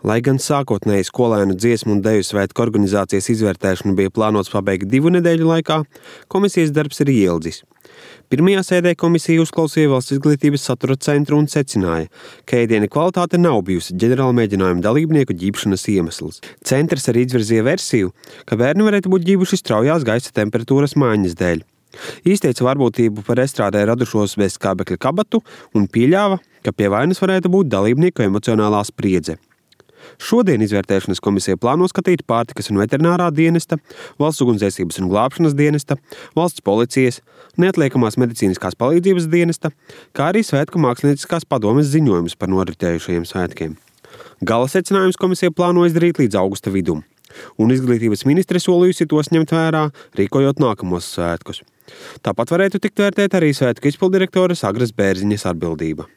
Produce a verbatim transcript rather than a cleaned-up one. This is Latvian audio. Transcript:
Lai gan sākotnēji skolēnu dziesmu un deju svētku organizācijas izvērtēšanu bija plānots pabeigt divu nedēļu laikā, komisijas darbs ir ieldzis. Pirmajā sēdē komisija uzklausīja Valsts izglītības satura centru un secināja, ka ēdiena kvalitāte nav bijusi ģenerāla mēģinājuma dalībnieku ģibšanas iemesls. Centrs arī izvirzīja versiju, ka bērni varētu būt ģibuši straujās gaisa temperatūras maiņas dēļ. Izteica varbūtību par estrādē radušos bezskābekļa kabatu un pieļāva, ka pie vainas varētu būt dalībnieku emocionālā spriedze. Šodien izvērtēšanas komisija plāno skatīt pārtikas un veterinārā dienesta, Valsts ugunsdzēsības un glābšanas dienesta, Valsts policijas, neatliekamās medicīniskās palīdzības dienesta, kā arī Svētku mākslinieckās padomes ziņojumus par noritējušajiem svētkiem. Gala secinājums komisija plāno izdarīt līdz augusta vidum, un izglītības ministre solījusi tos ņemt vērā, rīkojot nākamos svētkus. Tāpat varētu tikt vērtēt arī svētku izpildirektores Agras Bērziņas atbildība.